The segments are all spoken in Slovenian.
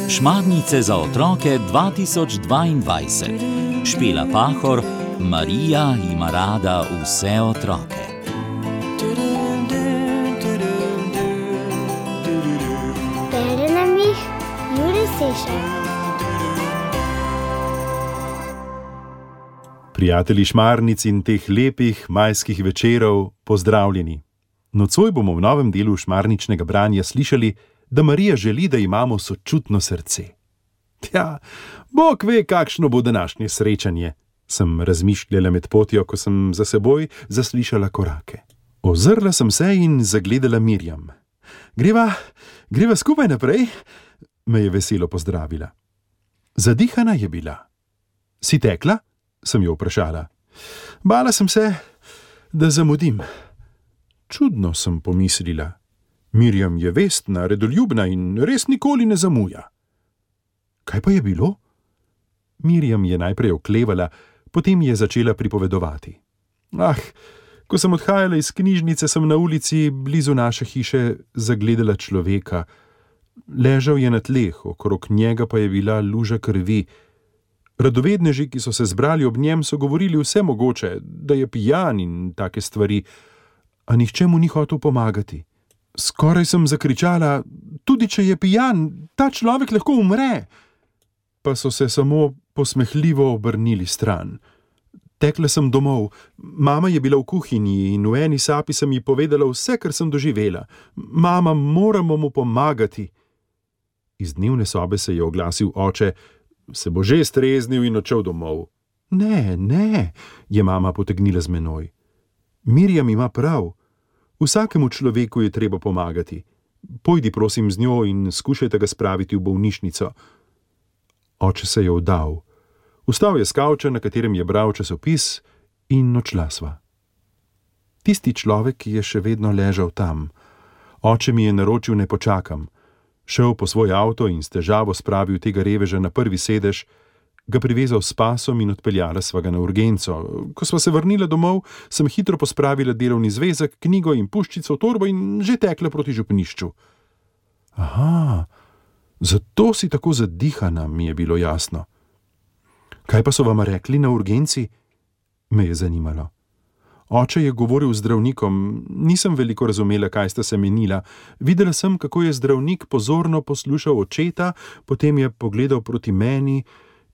Šmarnice za otroke 2022. Špela Pahor, Marija ima rada vse otroke. Bere nam jih Jure Sešar. Prijatelji šmarnic in teh lepih majskih večerov, pozdravljeni. Nocoj bomo v novem delu šmarničnega branja slišali, da Marija želi, da imamo sočutno srce. Tja, Bog ve, kakšno bo današnje srečanje, sem razmišljala med potjo, ko sem za seboj zaslišala korake. Ozrla sem se in zagledala Mirjam. Greva skupaj naprej? Me je veselo pozdravila. Zadihana je bila. Si tekla? Sem jo vprašala. Bala sem se, da zamudim. Čudno, sem pomislila. Mirjam je vestna, redoljubna in res nikoli ne zamuja. Kaj pa je bilo? Mirjam je najprej oklevala, potem je začela pripovedovati. Ko sem odhajala iz knjižnice, sem na ulici blizu naše hiše zagledala človeka. Ležal je na tleh, okrog njega pa je bila luža krvi. Radovedneži, ki so se zbrali ob njem, so govorili vse mogoče, da je pijan in take stvari, a nihče mu ni hotel pomagati. Skoraj sem zakričala, tudi če je pijan, ta človek lahko umre. Pa so se samo posmehljivo obrnili stran. Tekla sem domov, mama je bila v kuhinji in v eni sapi sem ji povedala vse, kar sem doživela. Mama, moramo mu pomagati. Iz dnevne sobe se je oglasil oče, se bo že streznil in odšel domov. Ne, je mama potegnila z menoj. Mirjam ima prav. Vsakemu človeku je treba pomagati. Pojdi prosim z njo in skušajte ga spraviti v bolnišnico. Oče se je vdal. Vstal je s kavča, na katerem je bral časopis, in odšla sva. Tisti človek je še vedno ležal tam. Oče mi je naročil, ne počakam. Šel po svoj avto in s težavo spravil tega reveža na prvi sedež, ga privezal s pasom in odpeljala sva ga na urgenco. Ko sva se vrnila domov, sem hitro pospravila delovni zvezek, knjigo in puščico v torbo in že tekla proti župnišču. Aha, zato si tako zadihana, mi je bilo jasno. Kaj pa so vama rekli na urgenci? Me je zanimalo. Oče je govoril z zdravnikom, nisem veliko razumela, kaj sta se menila. Videla sem, kako je zdravnik pozorno poslušal očeta, potem je pogledal proti meni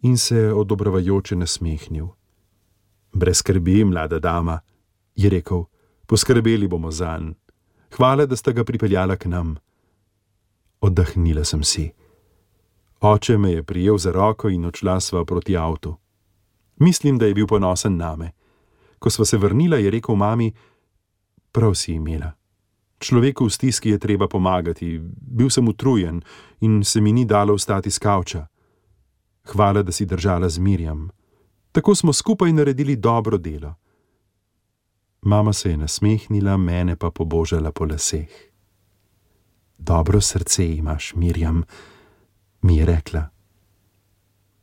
in se odobravajoče nasmehnil. Brez skrbi, mlada dama, je rekel, poskrbeli bomo zanj. Hvala, da sta ga pripeljala k nam. Oddahnila sem si. Oče me je prijel za roko in odšla sva proti avtu. Mislim, da je bil ponosen name. Ko sva se vrnila, je rekel mami, prav si imela. Človeku v stiski je treba pomagati, bil sem utrujen in se mi ni dalo vstati s kavča. Hvala, da si držala z Mirjam. Tako smo skupaj naredili dobro delo. Mama se je nasmehnila, mene pa pobožala po laseh. Dobro srce imaš, Mirjam, mi je rekla.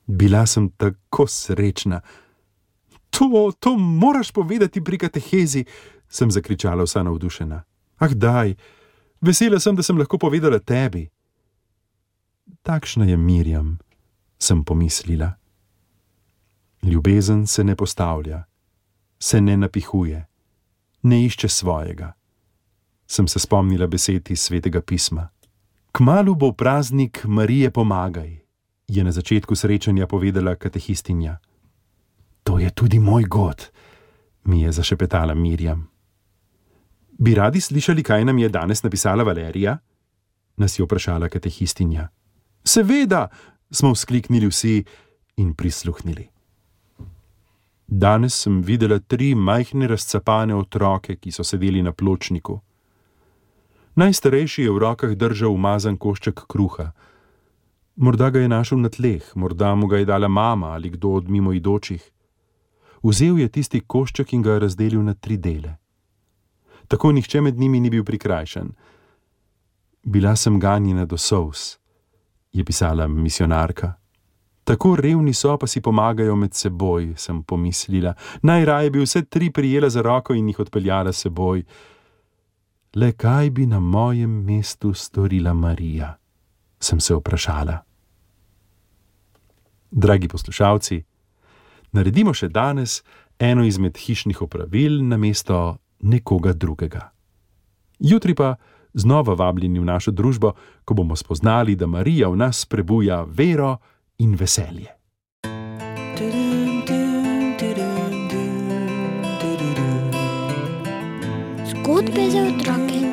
Bila sem tako srečna. To moraš povedati pri katehezi, sem zakričala vsa navdušena. Daj, vesela sem, da sem lahko povedala tebi. Takšna je Mirjam, sem pomislila. Ljubezen se ne postavlja, se ne napihuje, ne išče svojega. Sem se spomnila besed iz Svetega pisma. Kmalu bo praznik Marije pomagaj, je na začetku srečanja povedala katehistinja. To je tudi moj god, mi je zašepetala Mirjam. Bi radi slišali, kaj nam je danes napisala Valerija? Nas je vprašala katehistinja. Seveda, smo vzkliknili vsi in prisluhnili. Danes sem videla 3 majhne razcapane otroke, ki so sedeli na pločniku. Najstarejši je v rokah držal umazan košček kruha. Morda ga je našel na tleh, morda mu ga je dala mama ali kdo od mimoidočih. Vzel je tisti košček in ga razdelil na 3 dele. Tako nihče med njimi ni bil prikrajšan. Bila sem ganjena do solz, je pisala misionarka. Tako revni so, pa si pomagajo med seboj, sem pomislila. Najraje bi vse 3 prijela za roko in jih odpeljala s seboj. Le kaj bi na mojem mestu storila Marija? Sem se vprašala. Dragi poslušalci, naredimo še danes eno izmed hišnih opravil namesto nekoga drugega. Jutri pa znova vabljeni v našo družbo, ko bomo spoznali, da Marija v nas prebuja vero in veselje. Zgodbe za otroke.